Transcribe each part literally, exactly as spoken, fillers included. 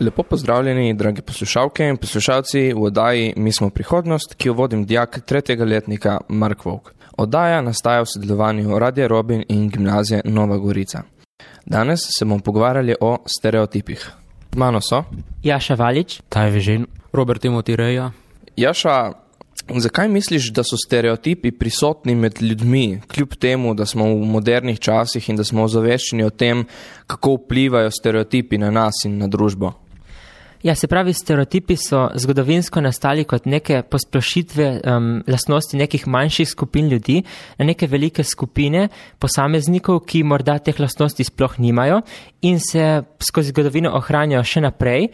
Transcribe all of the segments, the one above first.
Lepo pozdravljeni, dragi poslušalke in poslušalci v oddaji Mi smo prihodnost, ki jo vodim dijak tretjega letnika Mark Vovk. Oddaja nastaja v sodelovanju Radia Robin in Gimnazije Nova Gorica. Danes se bomo pogovarjali o stereotipih. Mano so Jaša Valič, Taj Vežin, Robert Timothy Reja. Jaša, zakaj misliš, da so stereotipi prisotni med ljudmi, kljub temu, da smo v modernih časih in da smo ozaveščeni o tem, kako vplivajo stereotipi na nas in na družbo? Ja, se pravi, stereotipi so zgodovinsko nastali kot neke posplošitve um, lastnosti nekih manjših skupin ljudi na neke velike skupine posameznikov, ki morda teh lastnosti sploh nimajo in se skozi zgodovino ohranjajo še naprej.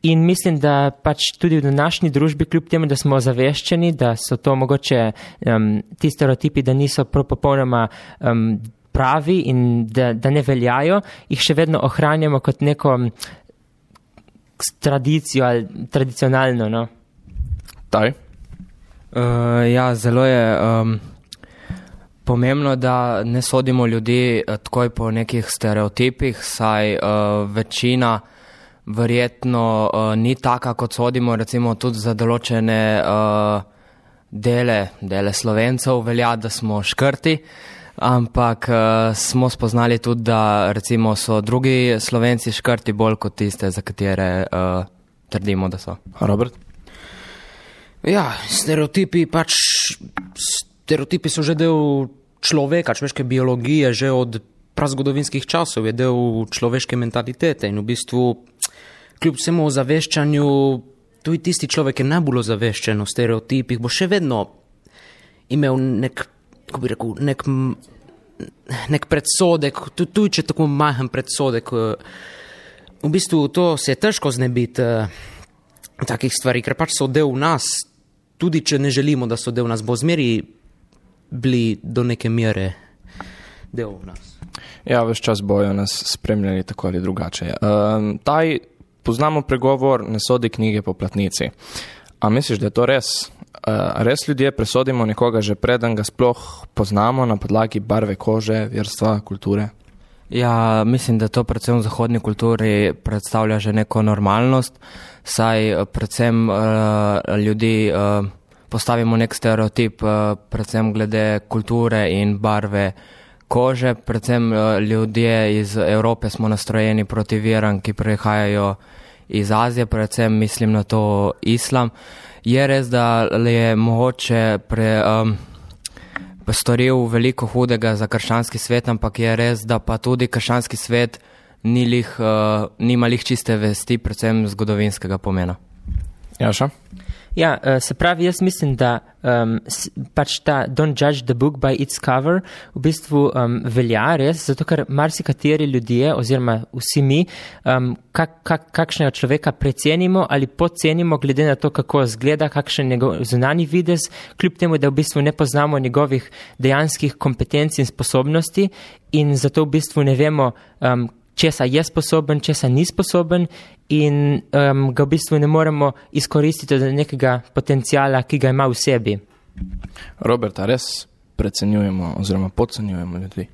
In mislim, da pač tudi v današnji družbi, kljub temu, da smo ozaveščeni, da so to mogoče um, ti stereotipi, da niso popolnoma um, pravi in da, da ne veljajo, jih še vedno ohranjamo kot neko tradicijo ali tradicionalno, no. Taj? Uh, ja, zelo je um, pomembno, da ne sodimo ljudi uh, takoj po nekih stereotipih, saj uh, večina verjetno uh, ni taka, kot sodimo, recimo tudi za določene uh, dele, dele Slovencev velja, da smo škrti, ampak uh, smo spoznali tudi, da recimo so drugi Slovenci škrti bolj kot tiste, za katere uh, trdimo, da so. Robert? Ja, stereotipi pač, stereotipi so že del človeka, človeške biologije, že od prazgodovinskih časov je del človeške mentalitete in v bistvu kljub vsemu ozaveščanju, tudi tisti človek, ki je najbolj ozaveščen o stereotipih, bo še vedno imel nek, kako bi rekel, nek, nek predsodek, tudi če tako majhen predsodek. V bistvu to se je težko znebiti takih stvari, ker pač so del nas, tudi če ne želimo, da so del nas, bo zmeri bili do neke mere del nas. Ja, ves čas bojo nas spremljali tako ali drugače. Um, taj Poznamo pregovor, ne sodi knjige po platnici. A misliš, da je to res? Res ljudje presodimo nekoga že preden ga sploh poznamo na podlagi barve kože, verstva, kulture? Ja, mislim, da to predvsem v zahodni kulturi predstavlja že neko normalnost, saj predvsem uh, ljudi uh, postavimo nek stereotip, uh, predvsem glede kulture in barve kože, predvsem ljudje iz Evrope smo nastrojeni proti veram, ki prihajajo iz Azije, predvsem mislim na to islam. Je res, da je mogoče pre, um, storil veliko hudega za krščanski svet, ampak je res, da pa tudi krščanski svet ni lih, uh, nima lih čiste vesti, predvsem zgodovinskega pomena. Jaša? Ja, se pravi, jaz mislim, da um, pač ta don't judge the book by its cover v bistvu um, velja res, zato ker marsikateri ljudje oziroma vsi mi um, kak, kak, kakšnega človeka precenimo ali podcenimo glede na to, kako zgleda, kakšen njegov zunanji videz, kljub temu, da v bistvu ne poznamo njegovih dejanskih kompetenc in sposobnosti in zato v bistvu ne vemo, um, česa je sposoben, česa ni sposoben in um, ga v bistvu ne moremo izkoristiti do nekega potencijala, ki ga ima v sebi. Robert, a res precenjujemo oziroma podcenjujemo ljudi?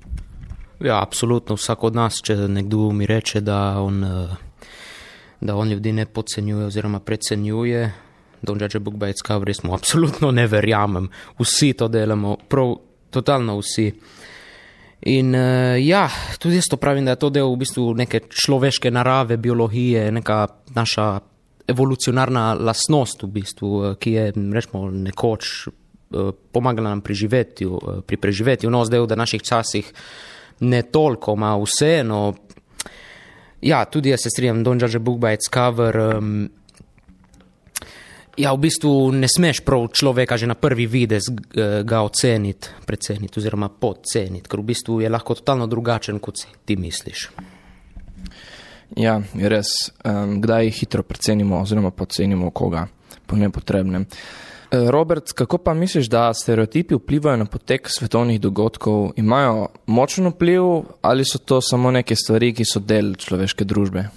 Ja, absolutno. Vsak od nas, če nekdo mi reče, da on, da on ljudi ne podcenjuje oziroma precenjuje, don't judge a book by its cover, res mu absolutno ne verjamem. Vsi to delamo, prav totalno vsi. In uh, ja, tudi jaz to pravim, da je to del v bistvu neke človeške narave, biologije, neka naša evolucionarna lastnost v bistvu, ki je, rečemo, nekoč uh, pomagala nam pri živetju, uh, pri preživetju. No, zdaj v današnjih časih ne toliko, ma vseeno. Ja, tudi jaz se strinjam, don't judge a book by its cover. Um, Ja, v bistvu ne smeš prav človeka že na prvi videz ga oceniti, preceniti oziroma podceniti, ker v bistvu je lahko totalno drugačen, kot si ti misliš. Ja, je res. Um, kdaj hitro precenimo oziroma podcenimo koga po nepotrebnem. Robert, kako pa misliš, da stereotipi vplivajo na potek svetovnih dogodkov? Imajo močen vpliv ali so to samo neke stvari, ki so del človeške družbe?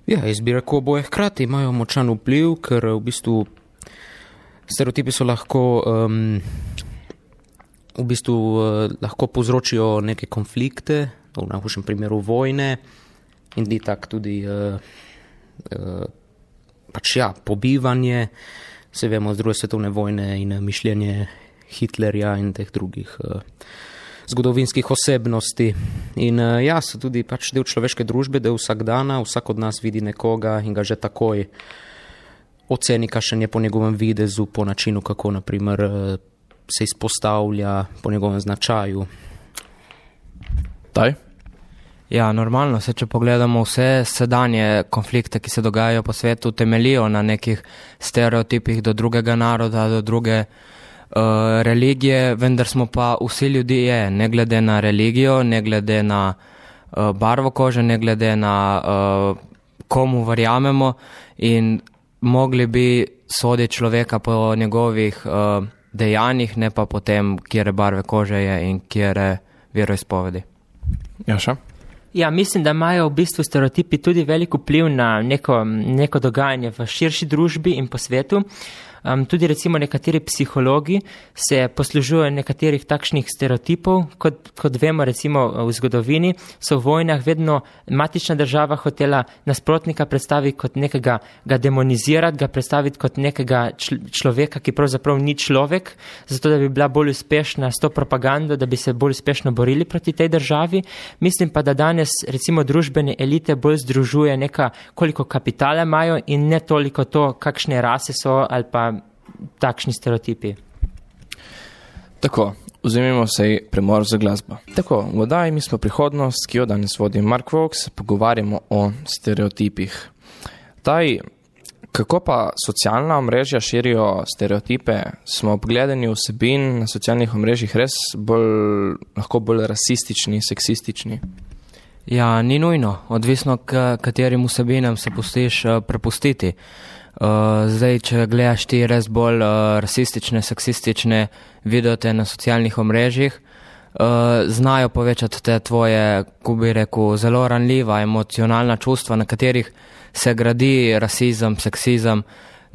Ja, jaz bi rekel, oboje hkrati imajo močan vpliv, ker v bistvu stereotipi so lahko, um, v bistvu uh, lahko povzročijo neke konflikte, v najhujšem primeru vojne in di tak tudi uh, pač ja, pobivanje, se vemo z druge svetovne vojne in mišljenje Hitlerja in teh drugih zgodovinskih osebnosti. In ja, so tudi pač del človeške družbe, del vsakdana, vsak od nas vidi nekoga in ga že takoj oceni, kakšen je po njegovem videzu, po načinu, kako naprimer se izpostavlja, po njegovem značaju. Taj? Ja, normalno se, če pogledamo vse sedanje konflikte, ki se dogajajo po svetu, temelijo na nekih stereotipih do drugega naroda, do druge uh, religije, vendar smo pa vsi ljudje, ne glede na religijo, ne glede na uh, barvo kože, ne glede na uh, komu verjamemo in mogli bi soditi človeka po njegovih uh, dejanjih, ne pa po tem, kjere barve kože je in kjere veroizpovedi. Jaša? Ja, mislim, da imajo v bistvu stereotipi tudi velik vpliv na neko, neko dogajanje v širši družbi in po svetu. Um, tudi recimo nekateri psihologi se poslužujejo nekaterih takšnih stereotipov, kot, kot vemo recimo v zgodovini, so v vojnah vedno matična država hotela nasprotnika predstaviti kot nekega, ga demonizirati, ga predstaviti kot nekega človeka, ki pravzaprav ni človek, zato da bi bila bolj uspešna s to propagando, da bi se bolj uspešno borili proti tej državi. Mislim pa, da danes recimo družbene elite bolj združuje neka, koliko kapitala imajo in ne toliko to, kakšne rase so ali pa takšni stereotipi. Tako, vzemimo se premor za glasbo. Tako, v oddaji Mi smo prihodnost, ki jo danes vodi Mark Vokes, pogovarjamo o stereotipih. Taj, kako pa socialna omrežja širijo stereotipe, smo ob gledanju vsebin na socialnih omrežjih res bolj, lahko bolj rasistični, seksistični? Ja, ni nujno, odvisno k katerim vsebinam se pustiš uh, prepustiti. Uh, zdaj, če gledaš ti res bolj uh, rasistične, seksistične videote na socialnih omrežjih, uh, znajo povečati te tvoje, ko bi rekel, zelo ranljiva, emocionalna čustva, na katerih se gradi rasizem, seksizem.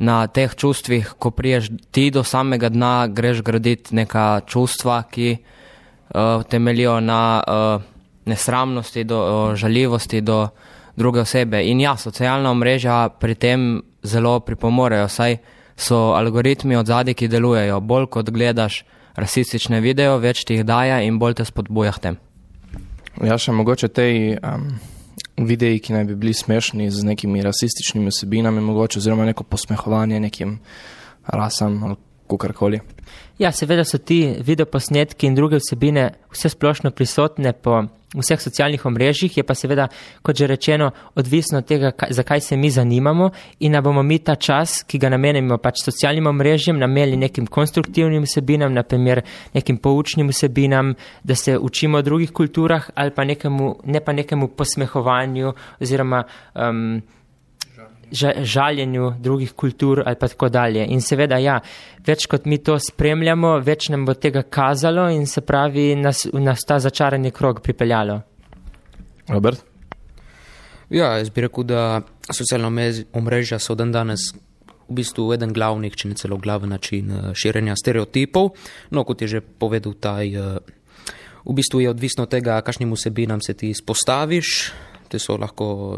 Na teh čustvih, ko priješ ti do samega dna, greš graditi neka čustva, ki uh, temeljijo na uh, nesramnosti, do uh, žaljivosti do druge osebe. In ja, socialna omrežja pri tem zelo pripomorejo, saj so algoritmi od zadaj, ki delujejo. Bolj kot gledaš rasistične video, več ti jih daje in bolj te spodbuja k tem. Ja, še mogoče tej um, videi, ki naj bi bili smešni z nekimi rasističnimi vsebinami, mogoče oziroma neko posmehovanje nekim rasam ali kakorkoli. Ja, seveda so ti videoposnetki in druge vsebine vse splošno prisotne po vseh socialnih omrežjih, je pa seveda, kot že rečeno, odvisno od tega, zakaj se mi zanimamo in da bomo mi ta čas, ki ga namenimo pač socialnim omrežjem, namenili nekim konstruktivnim vsebinam, naprimer nekim poučnim vsebinam, da se učimo o drugih kulturah ali pa nekemu, ne pa nekemu posmehovanju oziroma um, žaljenju drugih kultur ali pa tako dalje. In seveda, ja, več kot mi to spremljamo, več nam bo tega kazalo in se pravi, nas, nas ta začarani krog pripeljalo. Robert? Ja, jaz bi rekel, da socialna omrežja so dan danes v bistvu eden glavnih, če ne celo glaven način širjenja stereotipov. No, kot je že povedal taj, v bistvu je odvisno od tega, kakšnim vsebinam se ti izpostaviš. Te so lahko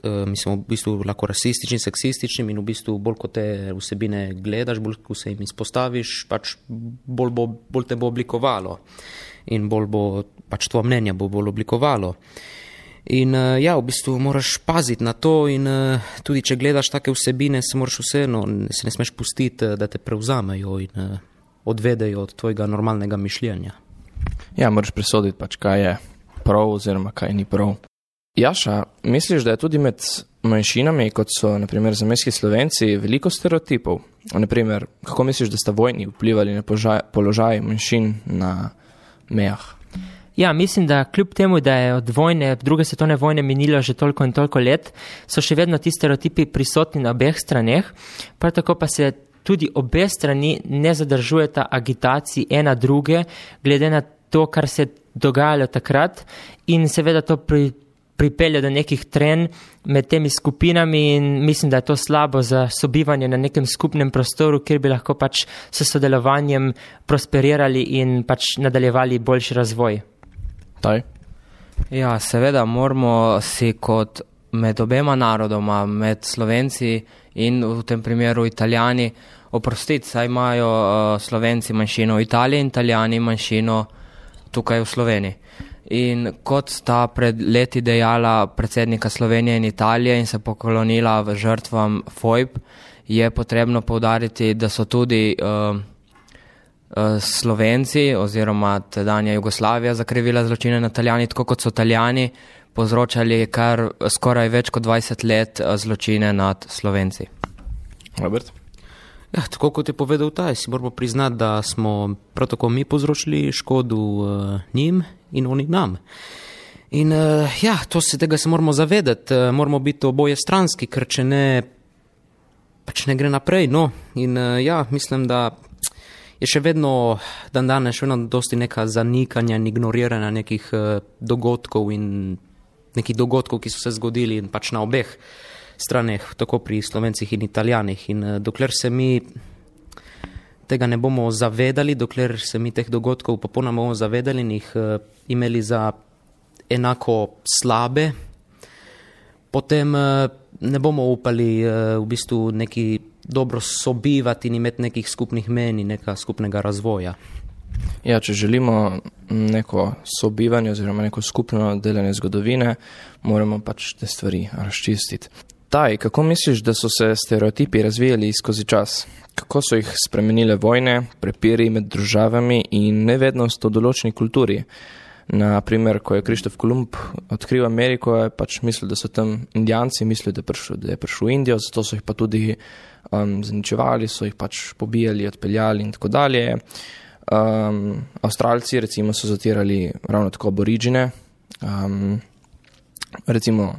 mislim, v bistvu lahko rasistični, seksistični in v bistvu bolj kot te vsebine gledaš, bolj ko se jim izpostaviš, pač bolj, bo, bolj te bo oblikovalo in bolj bo, pač tvoje mnenje bo bolj oblikovalo. In ja, v bistvu moraš paziti na to in tudi če gledaš take vsebine, se moraš vseeno, se ne smeš pustiti, da te prevzamejo in odvedejo od tvojega normalnega mišljenja. Ja, moraš presoditi pač, kaj je prav oziroma kaj ni prav. Jaša, misliš, da je tudi med manjšinami, kot so naprimer zamejski Slovenci, veliko stereotipov? Naprimer, kako misliš, da sta vojni vplivali na položaj, položaj manjšin na mejah? Ja, mislim, da kljub temu, da je od vojne, druge svetovne vojne minilo že toliko in toliko let, so še vedno ti stereotipi prisotni na obeh straneh, prav tako pa se tudi obe strani ne zadržujeta agitaciji ena druge, glede na to, kar se je dogajalo takrat in seveda to pri pripelje do nekih trenj med temi skupinami in mislim, da je to slabo za sobivanje na nekem skupnem prostoru, kjer bi lahko pač s sodelovanjem prosperirali in pač nadaljevali boljši razvoj. Taj? Ja, seveda moramo si kot med obema narodoma, med Slovenci in v tem primeru Italijani, oprostiti, saj imajo uh, Slovenci manjšino v Italiji in Italijani manjšino tukaj v Sloveniji. In kot sta pred leti dejala predsednika Slovenije in Italije in se poklonila v žrtvam fojb, je potrebno poudariti, da so tudi uh, uh, Slovenci oziroma tedanja Jugoslavija zakrivila zločine na Italijani, tako kot so Italijani povzročali kar skoraj več kot dvajset let uh, zločine nad Slovenci. Robert? Ja, tako kot je povedal taj, si moramo priznati, da smo prav tako mi povzročili škodu uh, njim in oni nam. In uh, ja, to se tega se moramo zavedati, uh, moramo biti oboje stranski, ker če ne, pač ne gre naprej, no. In uh, ja, mislim, da je še vedno, dan danes, še vedno dosti neka zanikanja in ignoriranja nekih uh, dogodkov in nekih dogodkov, ki so se zgodili in pač na obeh straneh, tako pri Slovencih in Italijanih. In uh, dokler se mi tega ne bomo zavedali, dokler se mi teh dogodkov popolnoma bomo zavedali in jih uh, imeli za enako slabe, potem uh, ne bomo upali uh, v bistvu neki dobro sobivati in imeti nekih skupnih meni, neka skupnega razvoja. Ja, če želimo neko sobivanje oziroma neko skupno delanje zgodovine, moramo pač te stvari razčistiti. Taj, kako misliš, da so se stereotipi razvijali skozi čas? Kako so jih spremenile vojne, prepiri med državami in nevednost o določeni kulturi? Na primer, ko je Krištof Kolumb odkril Ameriko, je pač mislil, da so tam Indijanci, mislil, da je prišel, da je prišel v Indijo, zato so jih pa tudi um, zaničevali, so jih pač pobijali, odpeljali in tako dalje. Um, Avstralci recimo so zatirali ravno tako aboriđine. Um, recimo,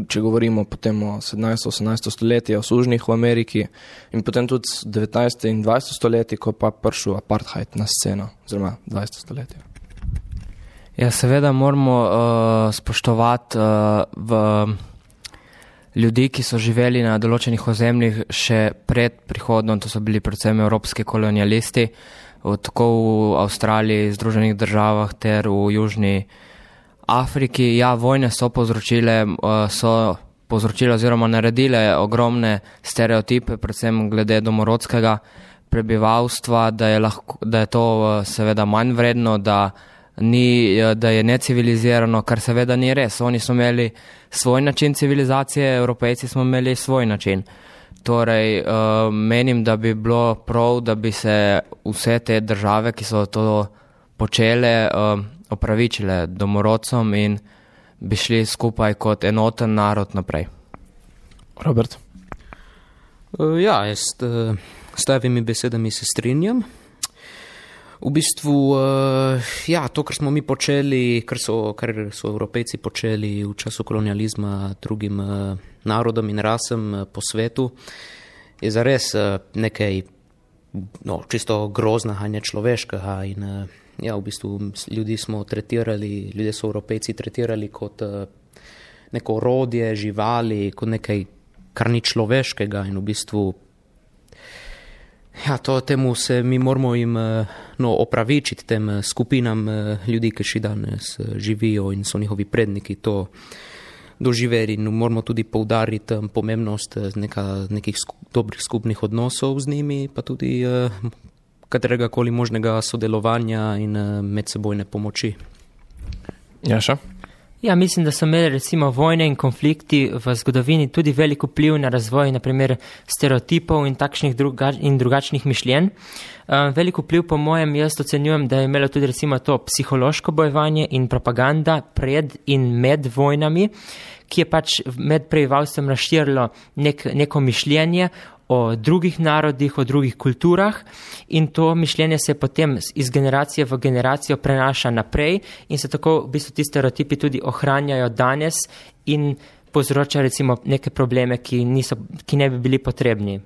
če govorimo potem o sedemnajsto osemnajsto stoletje, o sužnjih v Ameriki in potem tudi devetnajsto in dvajseto stoletje, ko pa prišel apartheid na sceno, oziroma dvajseto stoletje. Ja, seveda moramo uh, spoštovati uh, v ljudi, ki so živeli na določenih ozemljih še pred prihodom, to so bili predvsem evropski kolonialisti, tako v Avstraliji, Združenih državah ter v Južni Afriki. Ja, vojne so povzročile, so povzročile oziroma naredile ogromne stereotipe, predvsem glede domorodskega prebivalstva, da je, lahko, da je to seveda manj vredno, da, ni, da je necivilizirano, kar seveda ni res. Oni so imeli svoj način civilizacije, Evropejci smo imeli svoj način. Torej, uh, menim, da bi bilo prav, da bi se vse te države, ki so to počele, uh, opravičile domorodcom in bi šli skupaj kot enoten narod naprej. Robert? Uh, ja, jaz uh, s tevimi besedami se strinjam. V bistvu, uh, ja, to, kar smo mi počeli, kar so, kar so Evropejci počeli v času kolonializma drugim uh, narodom in rasem uh, po svetu, je zares uh, nekaj no, čisto groznega in nečloveškega. In uh, ja, v bistvu ljudi smo tretirali, ljudje so Evropejci tretirali kot uh, neko orodje, živali, kot nekaj, kar ni človeškega in v bistvu ja, to temu se mi moramo jim no, opravičiti, tem skupinam ljudi, ki še danes živijo in so njihovi predniki to doživeli. In moramo tudi poudariti pomembnost neka, nekih sku, dobrih skupnih odnosov z njimi, pa tudi uh, katerega koli možnega sodelovanja in uh, medsebojne pomoči. Jaša? Ja, mislim, da so imeli recimo vojne in konflikti v zgodovini tudi veliko vpliv na razvoj, naprimer stereotipov in takšnih druga, in drugačnih mišljenj. Uh, veliko vpliv po mojem, jaz ocenjujem, da je imelo tudi recimo to psihološko bojevanje in propaganda pred in med vojnami, ki je pač med prebivalstvom razširilo nek, neko mišljenje o drugih narodih, o drugih kulturah in to mišljenje se potem iz generacije v generacijo prenaša naprej in se tako v bistvu ti stereotipi tudi ohranjajo danes in povzroča recimo neke probleme, ki, niso, ki ne bi bili potrebni.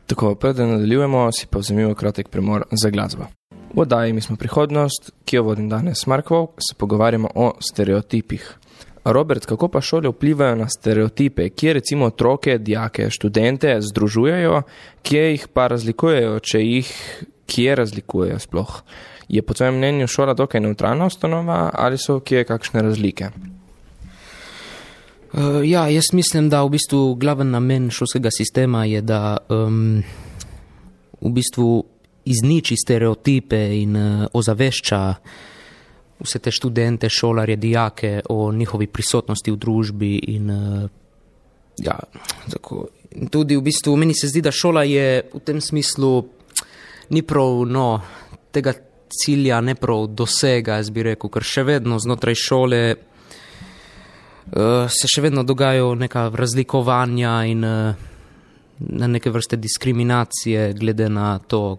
Tako, preden nadaljujemo, si pa vzemimo kratek premor za glasbo. V oddaji Mi smo prihodnost, ki jo vodim danes Markov, se pogovarjamo o stereotipih. Robert, kako pa šole vplivajo na stereotipe, kje recimo otroke, dijake, študente združujejo, kje jih pa razlikujejo, če jih kje razlikujejo sploh? Je po tvojem mnenju šola dokaj neutralna ustanova ali so kje kakšne razlike? Uh, ja, jaz mislim, da v bistvu glaven namen šolskega sistema je, da um, v bistvu izniči stereotipe in uh, ozavešča vse te študente, šolarje, dijake o njihovi prisotnosti v družbi in uh, ja, tako. In tudi v bistvu meni se zdi, da šola je v tem smislu ni prav, no, tega cilja ne prav dosega, jaz bi rekel, ker še vedno znotraj šole uh, se še vedno dogajajo neka razlikovanja in uh, na neke vrste diskriminacije glede na to,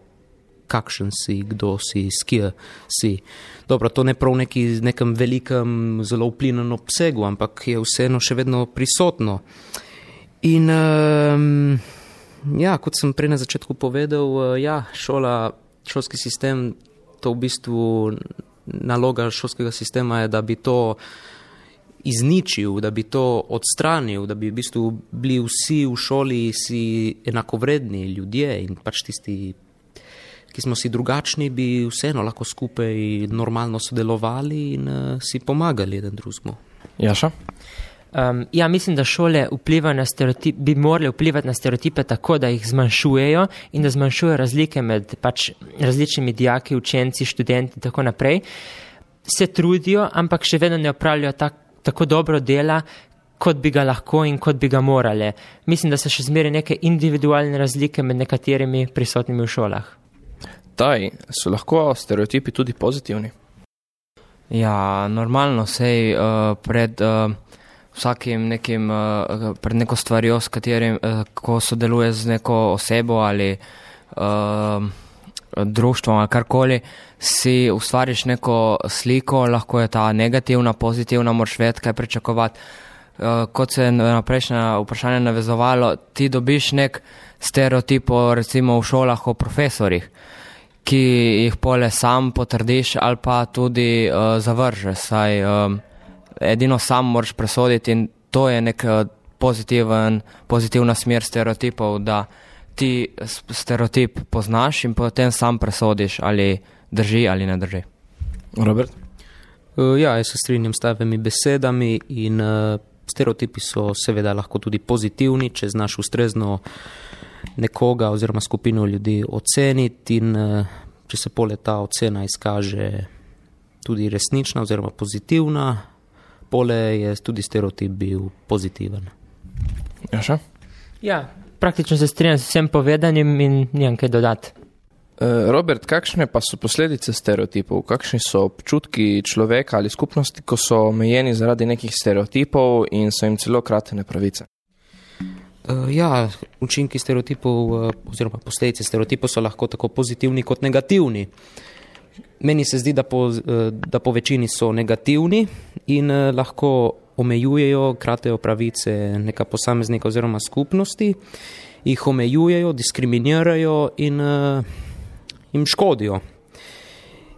kakšen si, kdo si, s kje si. Dobro, to ne prav neki, nekem velikem, zelo vplivnem obsegu, ampak je vseeno še vedno prisotno. In um, ja, kot sem prej na začetku povedal, uh, ja, šola, šolski sistem, to v bistvu naloga šolskega sistema je, da bi to izničil, da bi to odstranil, da bi v bistvu bili vsi v šoli si enakovredni ljudje in pač tisti, ki smo si drugačni, bi vseeno lahko skupaj normalno sodelovali in uh, si pomagali eden drugemu. Jaša? Um, ja, mislim, da šole vplivajo na stereotip, bi morali vplivati na stereotipe tako, da jih zmanjšujejo in da zmanjšujejo razlike med pač različnimi dijaki, učenci, študenti in tako naprej. Se trudijo, ampak še vedno ne opravljajo tak, tako dobro dela, kot bi ga lahko in kot bi ga morali. Mislim, da so še zmeraj neke individualne razlike med nekaterimi prisotnimi v šolah. Taj, so lahko stereotipi tudi pozitivni? Ja, normalno, sej uh, pred uh, vsakim nekim, uh, pred neko stvarjo, s katerim, uh, ko sodeluje z neko osebo ali uh, društvom ali karkoli, si ustvariš neko sliko, lahko je ta negativna, pozitivna, moraš vedeti, kaj pričakovati. Uh, kot se je na prejšnje vprašanje navezovalo, ti dobiš nek stereotip, recimo v šolah o profesorjih, ki jih pole sam potrdiš ali pa tudi uh, zavržeš. Saj um, edino sam moraš presoditi in to je nek uh, pozitiven, pozitivna smer stereotipov, da ti stereotip poznaš in potem sam presodiš, ali drži ali ne drži. Robert? Uh, ja, jaz se strinjam s tavimi besedami in uh, stereotipi so seveda lahko tudi pozitivni, če znaš ustrezno nekoga oziroma skupino ljudi oceniti in če se pole ta ocena izkaže tudi resnična oziroma pozitivna, pole je tudi stereotip bil pozitiven. Jaša? Ja, praktično se strinjam s vsem povedanim in nimam kaj dodati. Robert, kakšne pa so posledice stereotipov? Kakšni so občutki človeka ali skupnosti, ko so omejeni zaradi nekih stereotipov in so jim celo kratene pravice? Uh, ja, učinki stereotipov uh, oziroma posledice stereotipov so lahko tako pozitivni kot negativni. Meni se zdi, da po, uh, da po večini so negativni in uh, lahko omejujejo, kratejo pravice neka posameznika oziroma skupnosti, jih omejujejo, diskriminirajo in uh, jim škodijo.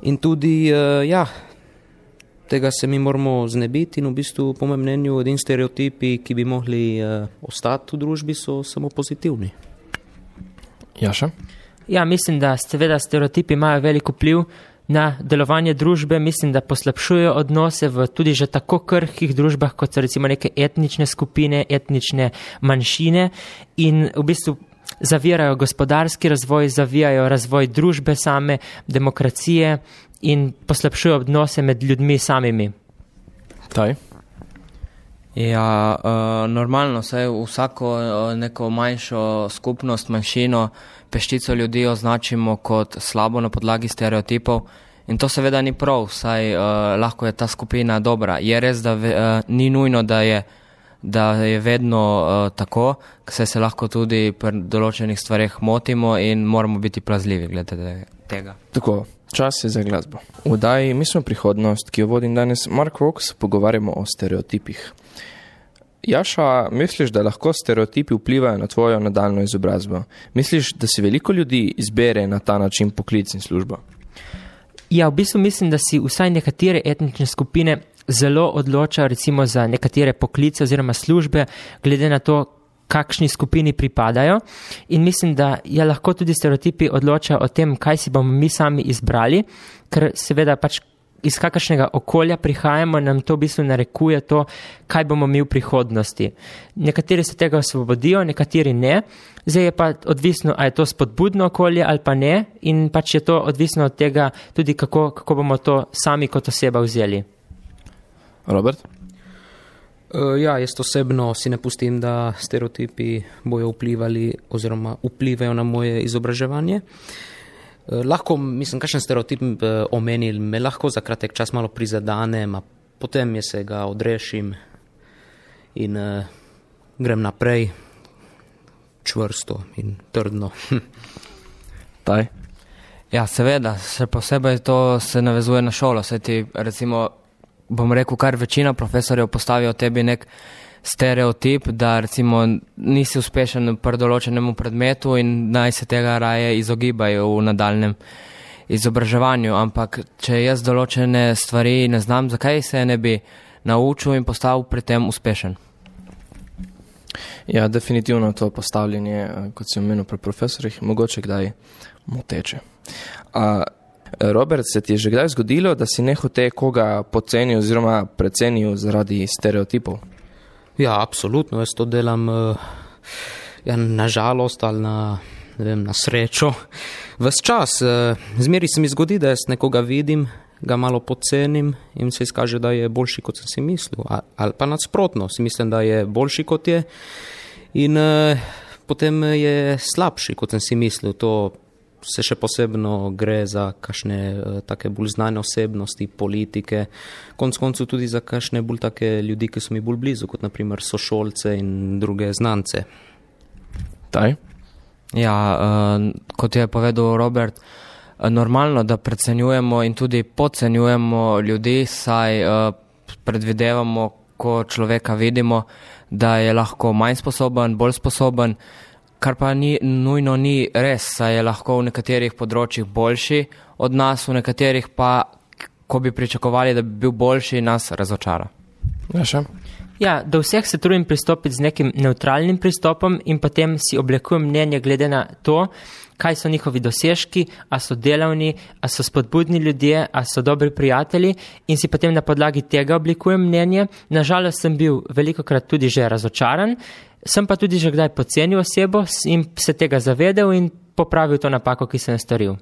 In tudi, uh, ja, tega se mi moramo znebiti in v bistvu, po mojem mnenju, edini stereotipi, ki bi mogli uh, ostati v družbi, so samo pozitivni. Jaša? Ja, mislim, da seveda stereotipi imajo veliko vpliv na delovanje družbe, mislim, da poslabšujejo odnose v tudi že tako krhkih družbah, kot so recimo neke etnične skupine, etnične manjšine in v bistvu zavirajo gospodarski razvoj, zavijajo razvoj družbe same, demokracije in poslabšujejo odnose med ljudmi samimi. Taj? Ja, uh, normalno, saj vsako uh, neko manjšo skupnost, manjšino, peščico ljudi označimo kot slabo na podlagi stereotipov in to seveda ni prav, saj uh, lahko je ta skupina dobra. Je res, da ve, uh, ni nujno, da je, da je vedno uh, tako, saj se lahko tudi pri določenih stvareh motimo in moramo biti plazljivi glede tega. Tako, čas je za glasbo. V oddaji Mi smo prihodnost, ki jo vodim danes Mark Vox, pogovarjamo o stereotipih. Jaša, misliš, da lahko stereotipi vplivajo na tvojo nadaljno izobrazbo? Misliš, da si veliko ljudi izbere na ta način poklic in službo? Ja, v bistvu mislim, da si vsaj nekatere etnične skupine zelo odločajo recimo za nekatere poklice oziroma službe, glede na to, kakšni skupini pripadajo. In mislim, da je lahko tudi stereotipi odločajo o tem, kaj si bomo mi sami izbrali, ker seveda pač iz kakršnega okolja prihajamo, nam to v bistvu narekuje to, kaj bomo mi v prihodnosti. Nekateri se tega osvobodijo, nekateri ne. Zdaj je pa odvisno, a je to spodbudno okolje ali pa ne, in pač je to odvisno od tega tudi, kako, kako bomo to sami kot oseba vzeli. Robert? Uh, ja, jaz osebno si ne pustim, da stereotipi bojo vplivali oziroma vplivajo na moje izobraževanje. Uh, lahko, mislim, kakšen stereotip uh, omenil, me lahko za kratek čas malo prizadane, a potem je se ga odrešim in uh, grem naprej čvrsto in trdno. Taj? Ja, seveda, še posebej to se navezuje na šolo, se ti recimo bom rekel, kar večina profesorjev postavijo tebi nek stereotip, da recimo nisi uspešen pri določenemu predmetu in naj se tega raje izogibajo v nadaljnem izobraževanju, ampak če jaz določene stvari ne znam, zakaj se ne bi naučil in postal pri tem uspešen? Ja, definitivno to postavljanje, kot si omenil pri profesorjih, mogoče kdaj moteče. A Robert, se ti je že kdaj zgodilo, da si nehote koga podcenil oziroma precenil zaradi stereotipov? Ja, absolutno, jaz to delam ja, na žalost ali na, ne vem, na srečo. Ves čas, zmeri se mi zgodi, da jaz nekoga vidim, ga malo podcenim in se izkaže, da je boljši, kot sem si mislil. Ali pa nasprotno, si mislim, da je boljši, kot je in eh, potem je slabši, kot sem si mislil. To se še posebno gre za kakšne uh, take bolj znane osebnosti, politike, konc koncu tudi za kakšne bolj take ljudi, ki so mi bolj blizu, kot naprimer sošolce in druge znance. Taj? Ja, uh, kot je povedal Robert, uh, normalno, da precenjujemo in tudi podcenjujemo ljudi, saj uh, predvidevamo, ko človeka vidimo, da je lahko manj sposoben, bolj sposoben, kar pa ni, nujno ni res, saj je lahko v nekaterih področjih boljši od nas, v nekaterih pa, ko bi pričakovali, da bi bil boljši, nas razočara. Ja, še? Ja, do vseh se trudim pristopiti z nekim neutralnim pristopom in potem si oblikujem mnenje glede na to, kaj so njihovi dosežki, a so delavni, a so spodbudni ljudje, a so dobri prijatelji in si potem na podlagi tega oblikujem mnenje. Nažalost sem bil velikokrat tudi že razočaran, sem pa tudi že kdaj podcenil osebo in se tega zavedel in popravil to napako, ki sem storil.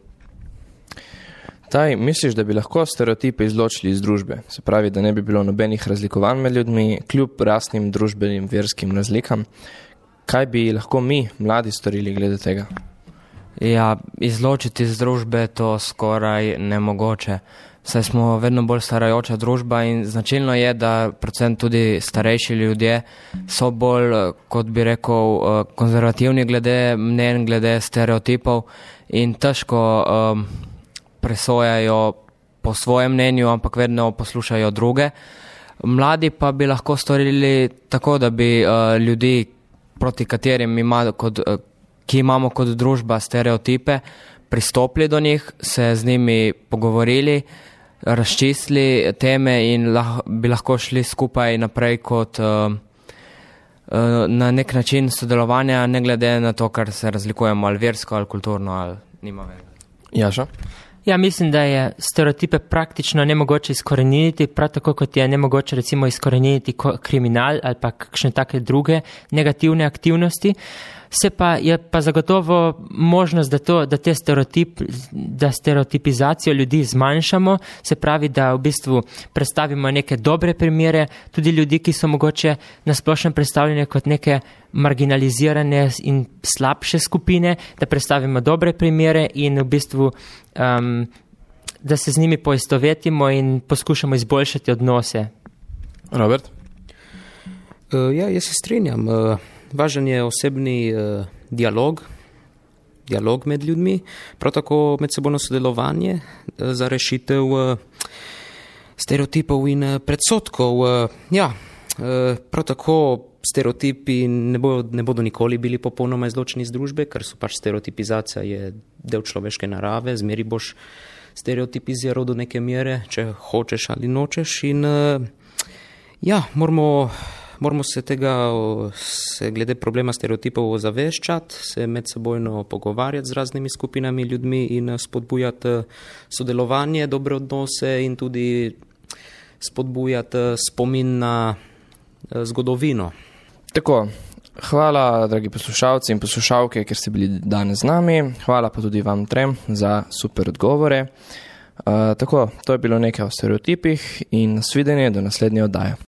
Taj, misliš, da bi lahko stereotipe izločili iz družbe? Se pravi, da ne bi bilo nobenih razlikovanj med ljudmi, kljub rasnim, družbenim, verskim razlikam. Kaj bi lahko mi, mladi, storili glede tega? Ja, izločiti iz družbe to skoraj nemogoče. Saj smo vedno bolj starajoča družba in značilno je, da predvsem tudi starejši ljudje so bolj, kot bi rekel, konzervativni glede mnenj, glede stereotipov in težko um, presojajo po svojem mnenju, ampak vedno poslušajo druge. Mladi pa bi lahko storili tako, da bi uh, ljudi, proti katerim ima kot, uh, ki imamo kot družba stereotipe, pristopili do njih, se z njimi pogovorili, razčistili teme in lah, bi lahko šli skupaj naprej kot uh, uh, na nek način sodelovanja, ne glede na to, kar se razlikujemo ali versko ali kulturno ali nima veze. Jaša? Ja, mislim, da je stereotipe praktično nemogoče izkoreniniti, prav tako kot je nemogoče recimo izkoreniniti kriminal ali pa kakšne take druge negativne aktivnosti. Se pa je pa zagotovo možnost, da, to, da, te stereotip, da stereotipizacijo ljudi zmanjšamo, se pravi, da v bistvu predstavimo neke dobre primere, tudi ljudi, ki so mogoče na splošnem predstavljene kot neke marginalizirane in slabše skupine, da predstavimo dobre primere in v bistvu, um, da se z njimi poistovetimo in poskušamo izboljšati odnose. Robert? Uh, ja, jaz se strinjam. Uh... Važen je osebni uh, dialog, dialog med ljudmi, prav tako medsebojno sodelovanje uh, za rešitev uh, stereotipov in uh, predsodkov. Uh, ja, uh, prav tako stereotipi ne, bo, ne bodo nikoli bili popolnoma izločeni iz družbe, ker so pač stereotipizacija je del človeške narave, zmeri boš stereotipiziral do neke mere, če hočeš ali nočeš. In uh, ja, moramo moramo se tega, se glede problema stereotipov zaveščati, se medsebojno pogovarjati z raznimi skupinami ljudmi in spodbujati sodelovanje, dobre odnose in tudi spodbujati spomin na zgodovino. Tako, hvala, dragi poslušalci in poslušalke, ker ste bili danes z nami. Hvala pa tudi vam trem za super odgovore. Uh, tako, to je bilo nekaj o stereotipih in nasvidenje do naslednje oddaje.